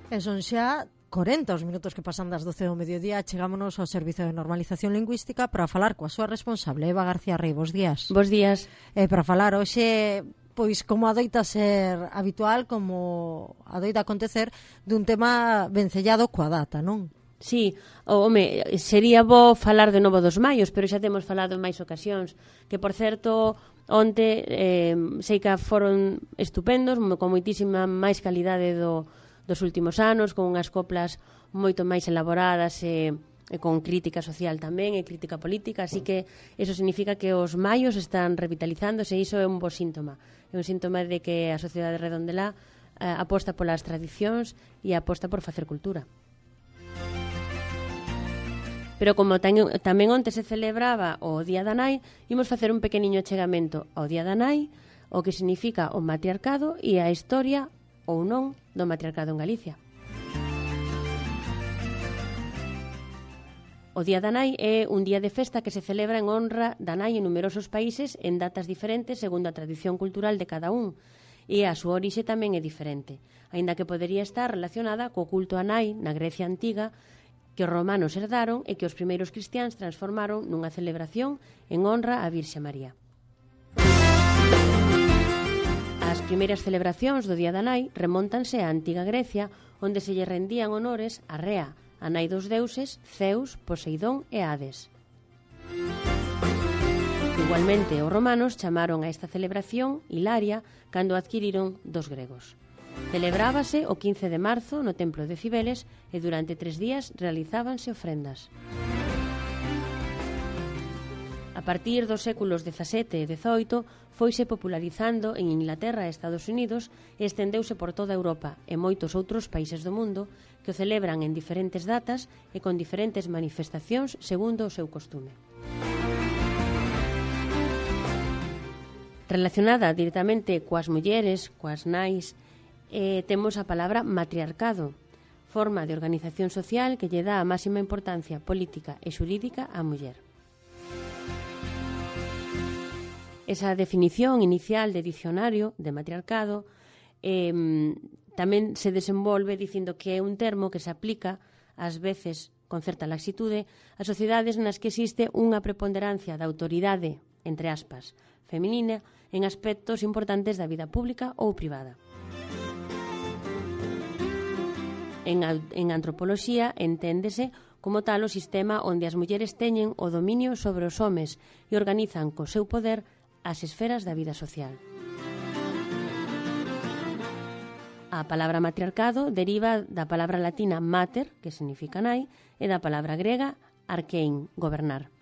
E son xa 40 os minutos que pasan das 12 do mediodía. Chegámonos ao Servizo de Normalización Lingüística para falar coa súa responsable, Eva García Rey. Bos días. Bos días. Para falar hoxe, pois como adoita ser habitual, como adoita acontecer, dun tema vencellado coa data, non? Sí, home, sería bo falar de novo dos maios, pero xa temos falado en máis ocasións, que por certo onte sei que foron estupendos, con moitísima máis calidade dos últimos anos, con unhas coplas moito máis elaboradas e con crítica social tamén e crítica política, así que eso significa que os maios están revitalizándose e iso é un bo síntoma. É un síntoma de que a sociedade redondelá aposta polas tradicións e aposta por facer cultura. Pero como tamén onte se celebraba o Día da Nai, imos facer un pequeniño achegamento ao Día da Nai, o que significa o matriarcado e a historia ou non do matriarcado en Galicia. O Día da Nai é un día de festa que se celebra en honra da nai en numerosos países en datas diferentes segundo a tradición cultural de cada un, e a súa orixe tamén é diferente, aínda que podería estar relacionada co culto á nai na Grecia antiga, que os romanos herdaron e que os primeiros cristiáns transformaron nunha celebración en honra á Virxe María. As primeiras celebracións do Día da Nai remóntanse á antiga Grecia, onde se lle rendían honores a Rea, a nai dos deuses Zeus, Poseidón e Hades. Igualmente, os romanos chamaron a esta celebración Hilaria cando adquiriron dos gregos. Celebrábase o 15 de marzo no templo de Cibeles e durante 3 días realizábanse ofrendas. A partir dos séculos XVII e XVIII foise popularizando en Inglaterra e Estados Unidos e estendeuse por toda Europa e moitos outros países do mundo que o celebran en diferentes datas e con diferentes manifestacións segundo o seu costume. Relacionada directamente coas mulleres, coas nais, temos a palabra matriarcado, forma de organización social que lle dá a máxima importancia política e xurídica á muller. Esa definición inicial de dicionario de matriarcado tamén se desenvolve dicindo que é un termo que se aplica ás veces con certa laxitude a sociedades nas que existe unha preponderancia da autoridade, entre aspas, feminina en aspectos importantes da vida pública ou privada. En antropoloxía enténdese como tal o sistema onde as mulleres teñen o dominio sobre os homes e organizan co seu poder as esferas da vida social. A palabra matriarcado deriva da palabra latina mater, que significa nai, e da palabra grega arkein, gobernar.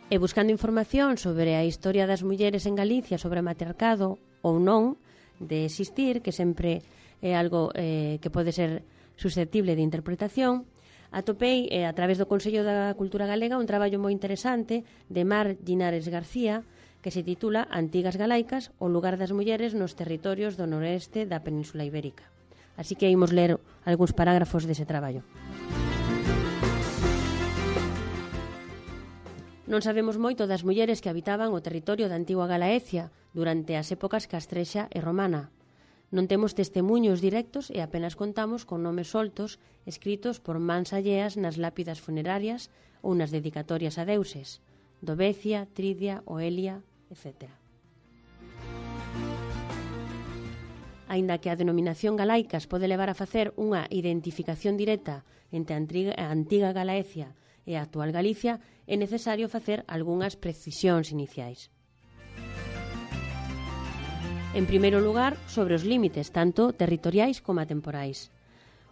E buscando información sobre a historia das mulleres en Galicia sobre matriarcado ou non, de existir, que sempre é algo que pode ser susceptible de interpretación, atopei a través do Consello da Cultura Galega un traballo moi interesante de Mar Llinares García que se titula Antigas Galaicas, o lugar das mulleres nos territorios do noroeste da Península Ibérica. Así que imos ler algúns parágrafos dese traballo. Non sabemos moito das mulleres que habitaban o territorio da antigua Galaecia durante as épocas castrexa e romana. Non temos testemuños directos e apenas contamos con nomes soltos escritos por mans alleas nas lápidas funerarias ou nas dedicatorias a deuses, Dovecia, Tridia, Oelia, etc. Aínda que a denominación galaicas pode levar a facer unha identificación directa entre a antiga Galaecia e a actual Galicia, é necesario facer algunhas precisións iniciais. En primeiro lugar, sobre os límites, tanto territoriais como temporais.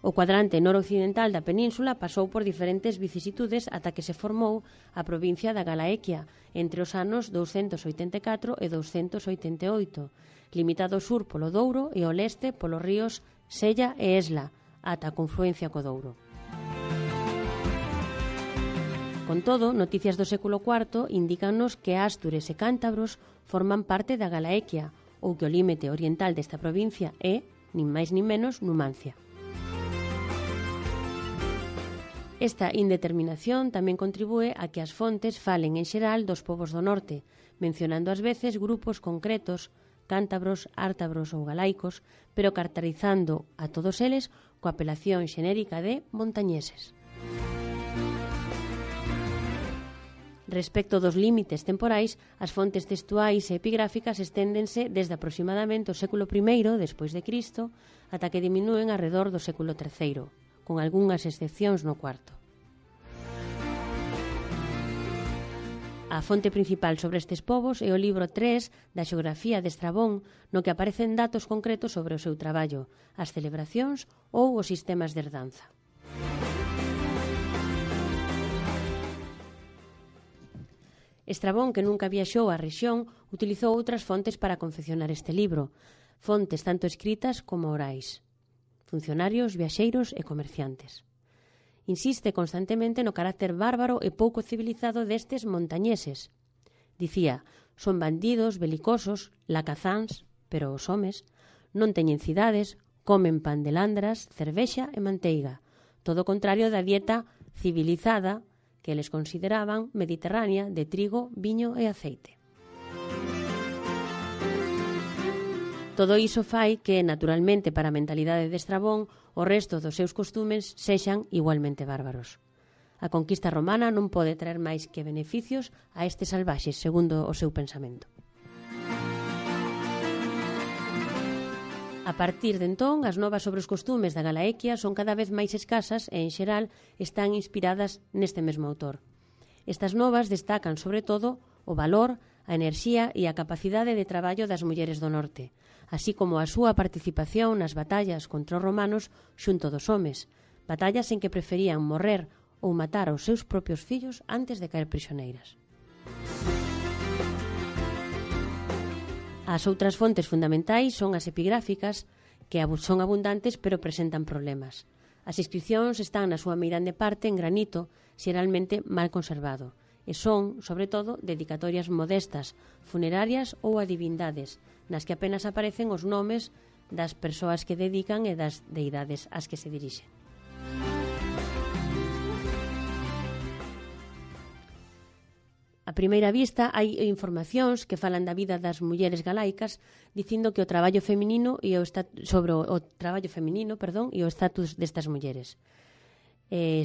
O cuadrante noroccidental da península pasou por diferentes vicisitudes ata que se formou a provincia da Galaequia entre os anos 284 e 288, limitado ao sur polo Douro e ao leste polos ríos Sella e Esla, ata a confluencia co Douro. Con todo, noticias do século IV indícannos que ástures e cántabros forman parte da Galaequia, ou que o límite oriental desta provincia é, nin máis nin menos, Numancia. Esta indeterminación tamén contribúe a que as fontes falen en xeral dos povos do norte, mencionando ás veces grupos concretos cántabros, ártabros ou galaicos, pero caracterizando a todos eles coa apelación xenérica de montañeses. Respecto dos límites temporais, as fontes textuais e epigráficas esténdense desde aproximadamente o século I despois de Cristo ata que diminúen arredor do século III, con algunhas excepcións no cuarto. A fonte principal sobre estes povos é o libro 3 da Xeografía de Estrabón, no que aparecen datos concretos sobre o seu traballo, as celebracións ou os sistemas de herdanza. Estrabón, que nunca viaxou á rexión, utilizou outras fontes para confeccionar este libro, fontes tanto escritas como orais, funcionarios, viaxeiros e comerciantes. Insiste constantemente no carácter bárbaro e pouco civilizado destes montañeses. Dicía, son bandidos, belicosos, lacazáns, pero os homes non teñen cidades, comen pan de landras, cervexa e manteiga, todo o contrario da dieta civilizada que eles consideraban mediterránea de trigo, viño e aceite. Todo iso fai que, naturalmente, para a mentalidade de Estrabón, o resto dos seus costumes sexan igualmente bárbaros. A conquista romana non pode traer máis que beneficios a estes salvaxes, segundo o seu pensamento. A partir de entón, as novas sobre os costumes da Galaequia son cada vez máis escasas e, en xeral, están inspiradas neste mesmo autor. Estas novas destacan, sobre todo, o valor, a enerxía e a capacidade de traballo das mulleres do norte, así como a súa participación nas batallas contra os romanos xunto dos homes, batallas en que preferían morrer ou matar aos seus propios fillos antes de caer prisioneiras. As outras fontes fundamentais son as epigráficas, que son abundantes pero presentan problemas. As inscripcións están na súa meirande parte en granito, xeralmente mal conservado, e son, sobre todo, dedicatorias modestas, funerarias ou a divindades, nas que apenas aparecen os nomes das persoas que dedican e das deidades ás que se dirixen. A primeira vista hai informacións que falan da vida das mulleres galaicas dicindo que o traballo feminino e sobre o traballo feminino, e o estatus destas mulleres.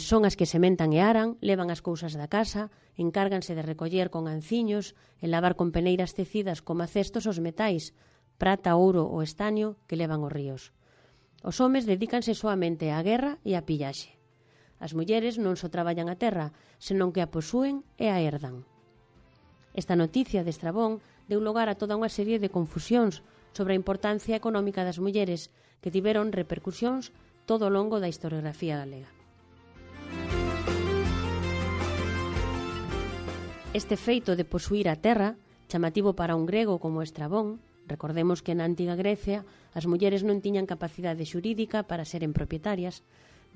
Son as que sementan e aran, levan as cousas da casa, encárganse de recoller con anciños e lavar con peneiras tecidas como cestos os metais, prata, ouro ou estaño que levan os ríos. Os homes dedícanse soamente á guerra e á pillaxe. As mulleres non só traballan a terra, senón que a posúen e a herdan. Esta noticia de Estrabón deu lugar a toda unha serie de confusións sobre a importancia económica das mulleres que tiveron repercusións todo o longo da historiografía galega. Este feito de posuir a terra, chamativo para un grego como Estrabón, recordemos que na antiga Grecia as mulleres non tiñan capacidade xurídica para seren propietarias,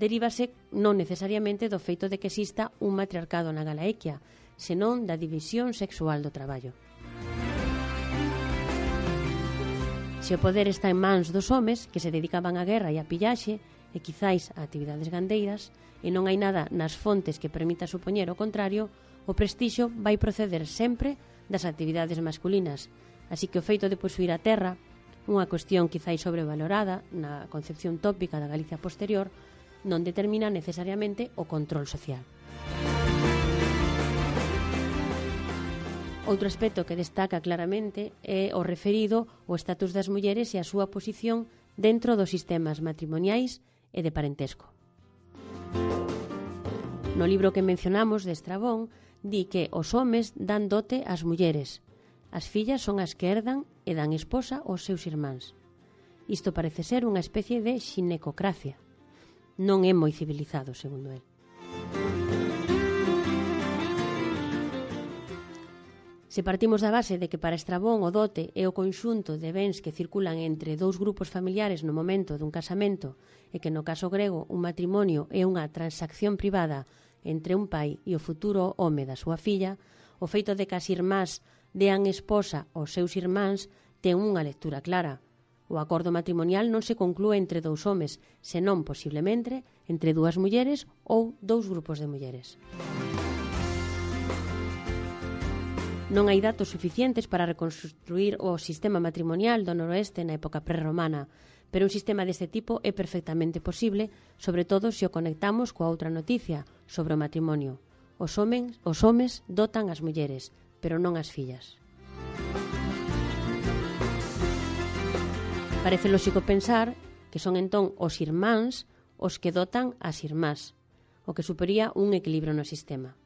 derívase non necesariamente do feito de que exista un matriarcado na Galaequia, senón da división sexual do traballo. Se o poder está en mans dos homes, que se dedicaban á guerra e á pillaxe, e quizáis a actividades gandeiras, e non hai nada nas fontes que permita supoñer o contrario, o prestixio vai proceder sempre das actividades masculinas, así que o feito de posuir a terra, unha cuestión quizáis sobrevalorada na concepción tópica da Galicia posterior, non determina necesariamente o control social. Outro aspecto que destaca claramente é o referido ao estatus das mulleres e a súa posición dentro dos sistemas matrimoniais e de parentesco. No libro que mencionamos de Estrabón, di que os homes dan dote ás mulleres. As fillas son as que herdan e dan esposa aos seus irmáns. Isto parece ser unha especie de xinecocracia. Non é moi civilizado, segundo el. Se partimos da base de que para Estrabón o dote é o conxunto de bens que circulan entre dous grupos familiares no momento dun casamento e que no caso grego un matrimonio é unha transacción privada entre un pai e o futuro home da súa filla, o feito de que as irmás dean esposa aos seus irmáns ten unha lectura clara. O acordo matrimonial non se conclúe entre dous homes, senón posiblemente entre dúas mulleres ou dous grupos de mulleres. Non hai datos suficientes para reconstruir o sistema matrimonial do noroeste na época prerromana, pero un sistema deste tipo é perfectamente posible, sobre todo se o conectamos coa outra noticia sobre o matrimonio. Os homes dotan as mulleres, pero non as fillas. Parece lóxico pensar que son entón os irmáns os que dotan as irmás, o que suporía un equilibrio no sistema.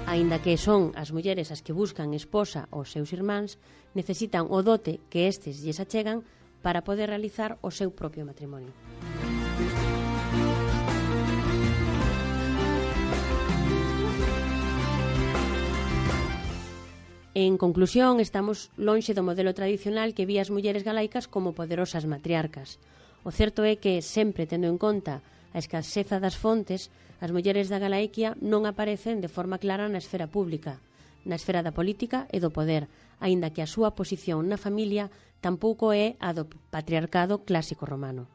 Aínda que son as mulleres as que buscan esposa aos seus irmáns, necesitan o dote que estes lles achegan para poder realizar o seu propio matrimonio. En conclusión, estamos lonxe do modelo tradicional que vía as mulleres galaicas como poderosas matriarcas. O certo é que, sempre tendo en conta a escaseza das fontes, as mulleres da Galaiquia non aparecen de forma clara na esfera pública, na esfera da política e do poder, aínda que a súa posición na familia tampouco é a do patriarcado clásico romano.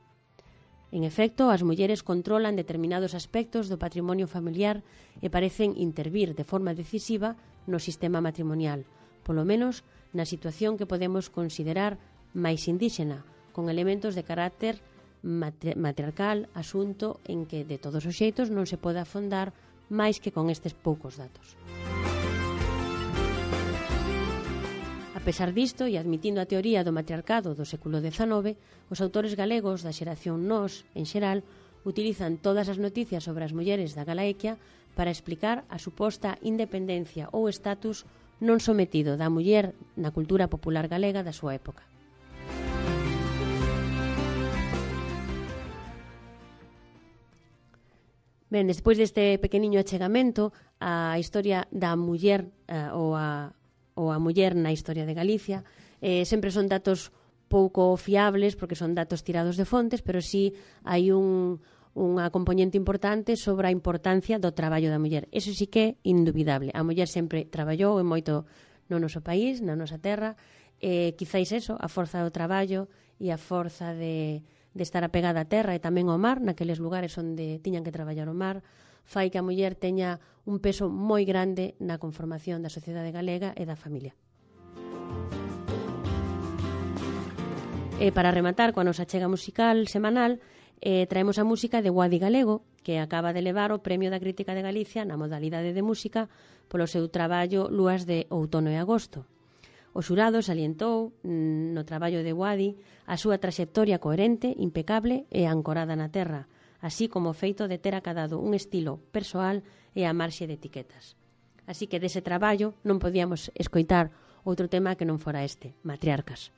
En efecto, as mulleres controlan determinados aspectos do patrimonio familiar e parecen intervir de forma decisiva no sistema matrimonial, polo menos na situación que podemos considerar máis indíxena, con elementos de carácter matriarcal, asunto en que de todos os xeitos non se pode afondar máis que con estes poucos datos. A pesar disto, e admitindo a teoría do matriarcado do século XIX, os autores galegos da xeración Nós, en xeral, utilizan todas as noticias sobre as mulleres da Galaequia para explicar a suposta independencia ou estatus non sometido da muller na cultura popular galega da súa época. Ben, despois deste pequeniño achegamento á historia da muller ou a muller na historia de Galicia, sempre son datos pouco fiables porque son datos tirados de fontes, pero sí hai unha componente importante sobre a importancia do traballo da muller. Eso sí que é indubidable. A muller sempre traballou e moito no noso país, na nosa terra, quizáis eso, a forza do traballo e a forza de estar apegada á terra e tamén ao mar, naqueles lugares onde tiñan que traballar o mar, fai que a muller teña un peso moi grande na conformación da sociedade galega e da familia. E para rematar coa nosa chega musical semanal, traemos a música de Guadi Galego, que acaba de levar o Premio da Crítica de Galicia na modalidade de música polo seu traballo Lúas de Outono e Agosto. O xurado salientou no traballo de Guadi a súa traxectoria coherente, impecable e ancorada na terra, así como o feito de ter acadado un estilo persoal e a marxe de etiquetas. Así que dese traballo non podíamos escoitar outro tema que non fora este, Matriarcas.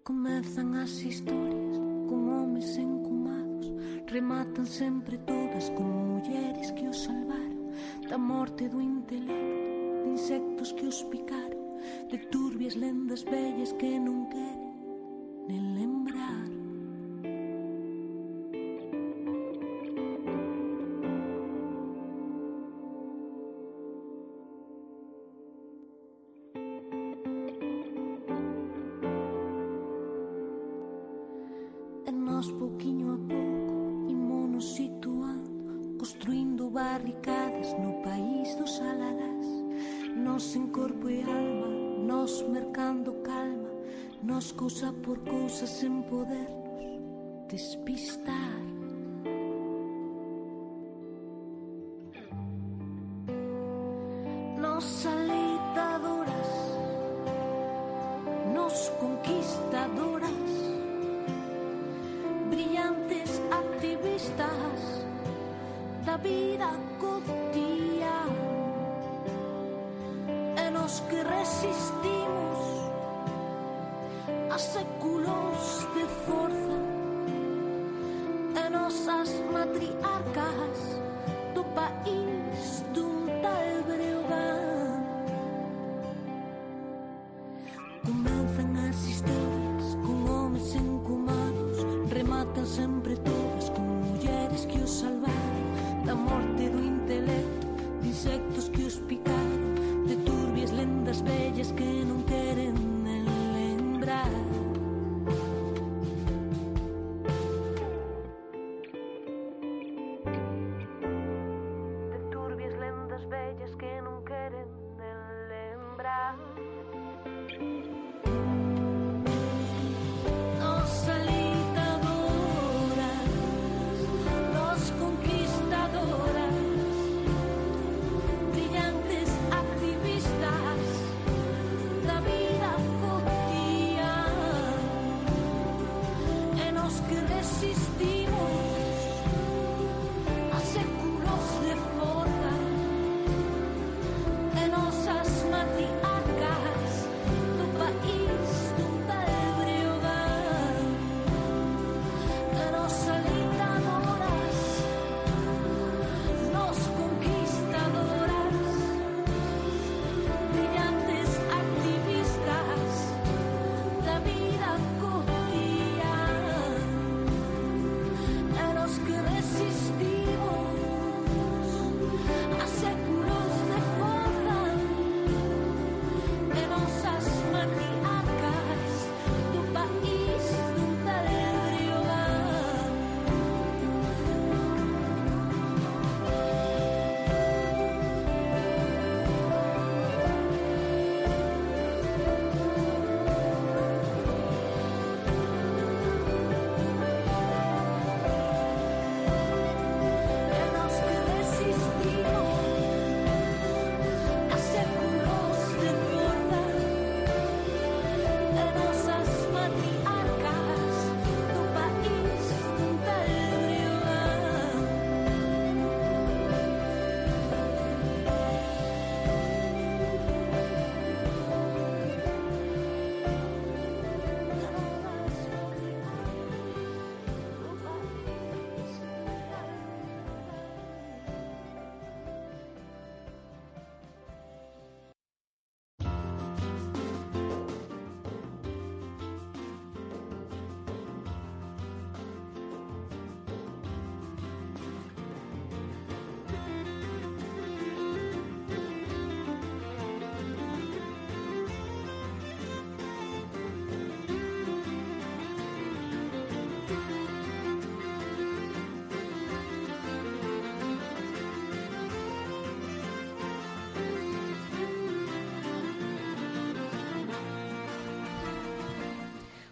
Comezan as historias con homes encumados, rematan sempre todas con mulleres que os salvaron da morte do intelecto, de insectos que os picaron, de turbias lendas vellas que non queren nen lembrar. Nós, pouquiño a pouco, imonos situando, construindo barricadas no país dos alalás. Nós en corpo e alma, nós mercando calma, nós cousa por cousa sen podernos despistar. Nós aleitadoras, nós conquistadoras, brillantes activistas da vida cotidiana, e nos que resistimos a séculos de forza, e nosas matriarcas do país dun tal Breogán. Comenzan as historias con homes encumados, rematan sempre todo da morte do intelecto, de insectos que os picaron, de turbias lendas vellas que non queren nen lembrar. De turbias lendas vellas que non queren nen lembrar.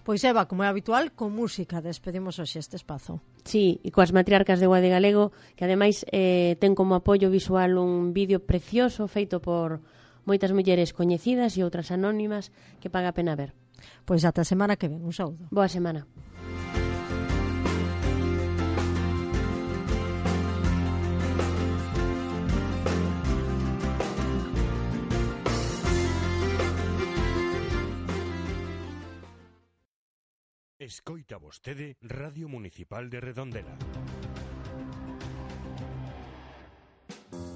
Pois Eva, como é habitual, con música despedimos hoxe este espazo. Sí, e coas matriarcas de Guade Galego, que ademais ten como apoio visual un vídeo precioso feito por moitas mulleres coñecidas e outras anónimas que paga a pena ver. Pois ata a semana que ven, un saúdo. Boa semana. Escoita vostede Radio Municipal de Redondela.